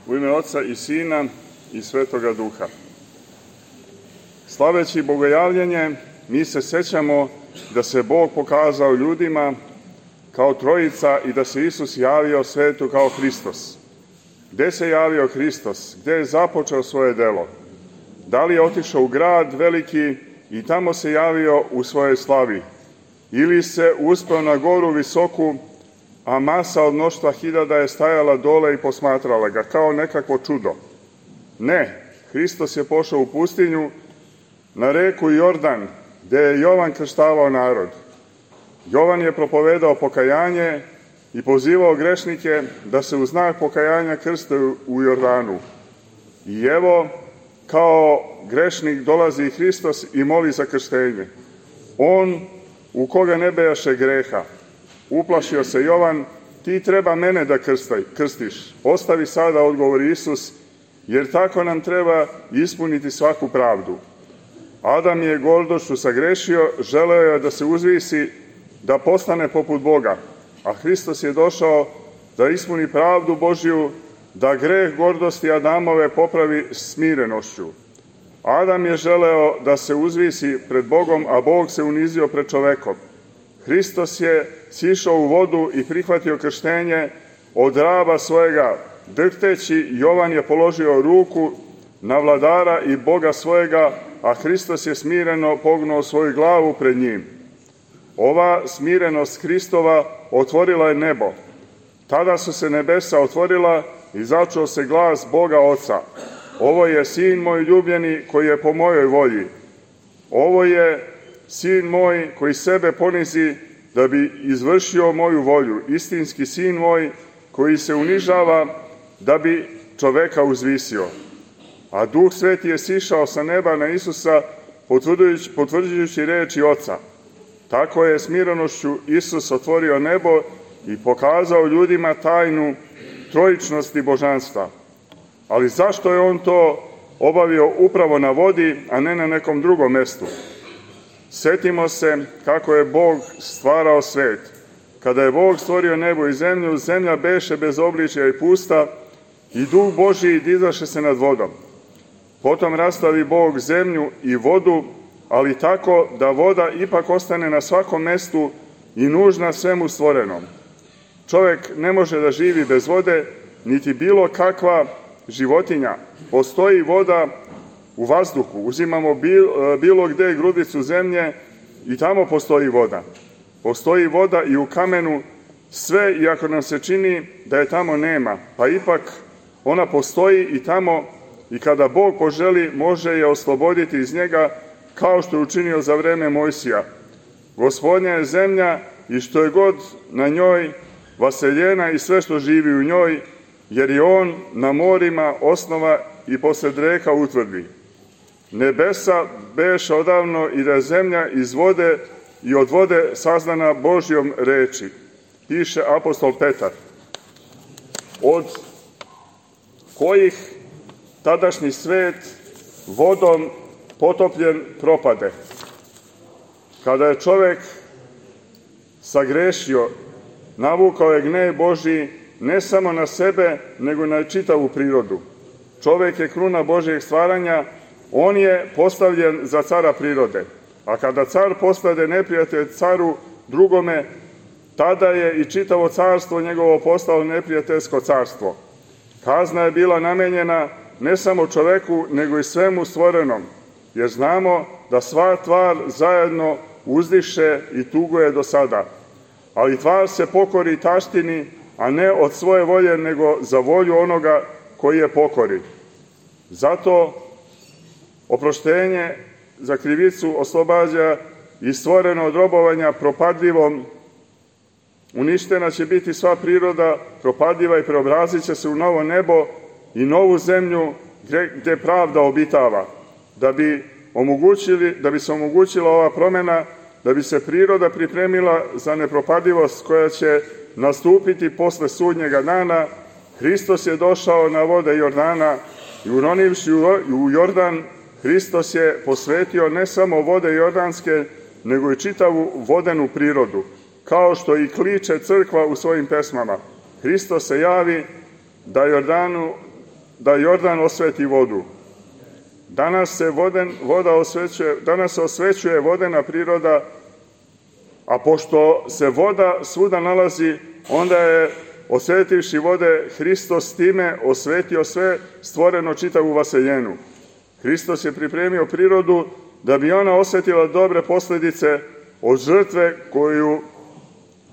U ime Oca i Sina i Svetoga Duha. Slaveći Bogojavljenje, mi se sećamo da se Bog pokazao ljudima kao Trojica i da se Isus javio svetu kao Hristos. Gde se javio Hristos? Gde je započeo svoje delo? Da li je otišao u grad veliki i tamo se javio u svojoj slavi? Ili se uspeo na goru visoku, a masa od mnoštva hiljada je stajala dole i posmatrala ga kao nekakvo čudo? Ne, Hristos je pošao u pustinju, na reku Jordan, gde je Jovan krštavao narod. Jovan je propovedao pokajanje i pozivao grešnike da se u znak pokajanja krste u Jordanu. I evo, kao grešnik dolazi Hristos i moli za krštenje. On u koga ne bejaše greha. Uplašio se Jovan, ti treba mene da krstiš. Ostavi sada, odgovori Isus, jer tako nam treba ispuniti svaku pravdu. Adam je gordošću sagrešio, želeo je da se uzvisi, da postane poput Boga, a Hristos je došao da ispuni pravdu Božju, da greh gordosti Adamove popravi smirenošću. Adam je želeo da se uzvisi pred Bogom, a Bog se unizio pred čovekom. Hristos je sišao u vodu i prihvatio krštenje od raba svojega. Drhteći, Jovan je položio ruku na vladara i Boga svojega, a Hristos je smireno pognuo svoju glavu pred njim. Ova smirenost Hristova otvorila je nebo. Tada su se nebesa otvorila i začuo se glas Boga Oca. Ovo je sin moj ljubljeni koji je po mojoj volji. Ovo je sin moj koji sebe ponizi da bi izvršio moju volju. Istinski sin moj koji se unižava da bi čoveka uzvisio. A Duh Sveti je sišao sa neba na Isusa potvrđujući reči Oca. Tako je smirenošću Isus otvorio nebo i pokazao ljudima tajnu trojičnosti božanstva. Ali zašto je on to obavio upravo na vodi, a ne na nekom drugom mestu? Setimo se kako je Bog stvarao svet. Kada je Bog stvorio nebo i zemlju, zemlja beše bez obličja i pusta i Duh Božiji dizaše se nad vodom. Potom rastavi Bog zemlju i vodu, ali tako da voda ipak ostane na svakom mestu i nužna svemu stvorenom. Čovek ne može da živi bez vode, niti bilo kakva životinja. Postoji voda u vazduhu, uzimamo bilo gde grudicu zemlje i tamo postoji voda. Postoji voda i u kamenu, sve iako nam se čini da je tamo nema, pa ipak ona postoji i tamo i kada Bog poželi može je osloboditi iz njega, kao što je učinio za vreme Mojsija. Gospodnja je zemlja i što je god na njoj, vaseljena i sve što živi u njoj, jer je on na morima osnova i posred reka utvrdi. Nebesa beše odavno i da je zemlja iz vode i od vode saznana Božjom reči, piše apostol Petar, od kojih tadašnji svet vodom potopljen propade. Kada je čovek sagrešio, navukao je gnev Božji ne samo na sebe, nego na čitavu prirodu. Čovek je kruna Božjeg stvaranja, on je postavljen za cara prirode. A kada car postade neprijatelj caru drugome, tada je i čitavo carstvo njegovo postalo neprijateljsko carstvo. Kazna je bila namenjena ne samo čoveku, nego i svemu stvorenom, jer znamo da sva tvar zajedno uzdiše i tuguje do sada. Ali tvar se pokori taštini, a ne od svoje volje, nego za volju onoga koji je pokori. Zato oproštenje za krivicu oslobađa i stvoreno od robovanja propadljivom. Uništena će biti sva priroda propadljiva i preobrazit će se u novo nebo i novu zemlju gde pravda obitava. Da bi se omogućila ova promena, da bi se priroda pripremila za nepropadljivost koja će nastupiti posle sudnjega dana, Hristos je došao na vode Jordana i uronivši u Jordan, Hristos je posvetio ne samo vode jordanske, nego i čitavu vodenu prirodu, kao što i kliče crkva u svojim pesmama. Hristos se javi da Jordanu da Jordan osveti vodu. Danas se osvećuje vodena priroda, a pošto se voda svuda nalazi, onda je, osvetivši vode, Hristos time osvetio sve stvoreno, čitavu vaseljenu. Hristos je pripremio prirodu da bi ona osjetila dobre posljedice od žrtve koju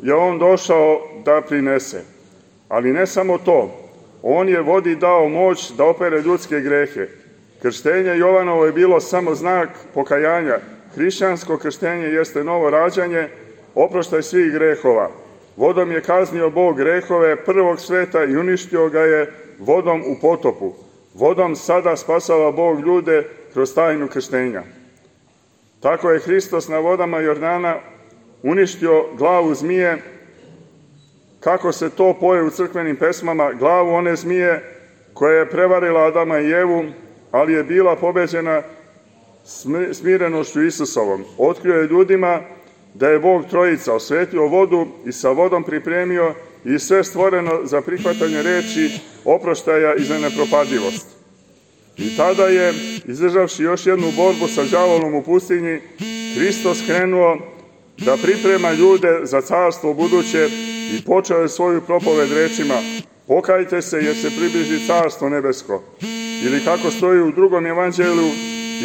je on došao da prinese. Ali ne samo to, on je vodi dao moć da opere ljudske grehe. Krštenje Jovanovo je bilo samo znak pokajanja. Hrišćansko krštenje jeste novo rađanje, oproštaj svih grehova. Vodom je kaznio Bog grehove prvog sveta i uništio ga je vodom u potopu. Vodom sada spasava Bog ljude kroz tajnu krštenja. Tako je Hristos na vodama Jordana uništio glavu zmije, kako se to poje u crkvenim pesmama, glavu one zmije koja je prevarila Adama i Evu, ali je bila pobeđena smirenošću Isusovom. Otkrio je ljudima da je Bog trojica, osvetio vodu i sa vodom pripremio i sve stvoreno za prihvatanje reči, oproštaja i za nepropadljivost. I tada je, izdržavši još jednu borbu sa đavolom u pustinji, Hristos krenuo da priprema ljude za carstvo buduće i počeo je svoju propoved rečima: pokajte se jer se približi carstvo nebesko. Ili kako stoji u drugom evanđelju,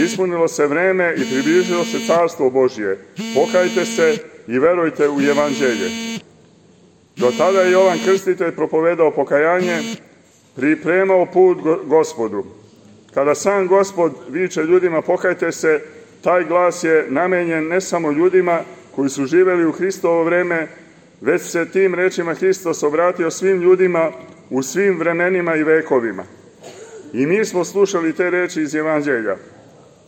ispunilo se vreme i približilo se carstvo Božje. Pokajte se i verujte u evanđelje. Do tada je Jovan Krstitelj propovedao pokajanje, pripremao put Gospodu. Kada sam Gospod viče ljudima pokajte se, taj glas je namenjen ne samo ljudima koji su živeli u Hristovo vreme, već se tim rečima Hristos obratio svim ljudima u svim vremenima i vekovima. I mi smo slušali te reči iz evanđelja.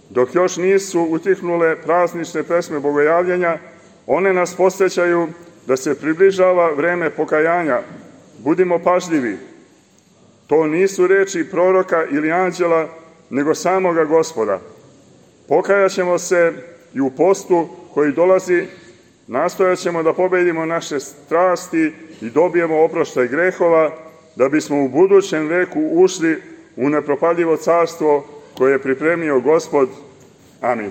Dok još nisu utihnule praznične pesme bogojavljenja, one nas podsjećaju da se približava vreme pokajanja. Budimo pažljivi. To nisu reči proroka ili anđela, nego samoga Gospoda. Pokajat ćemo se i u postu koji dolazi, nastojat ćemo da pobedimo naše strasti i dobijemo oproštaj grehova, da bismo u budućem veku ušli u nepropadljivo carstvo koje je pripremio Gospod. Amin.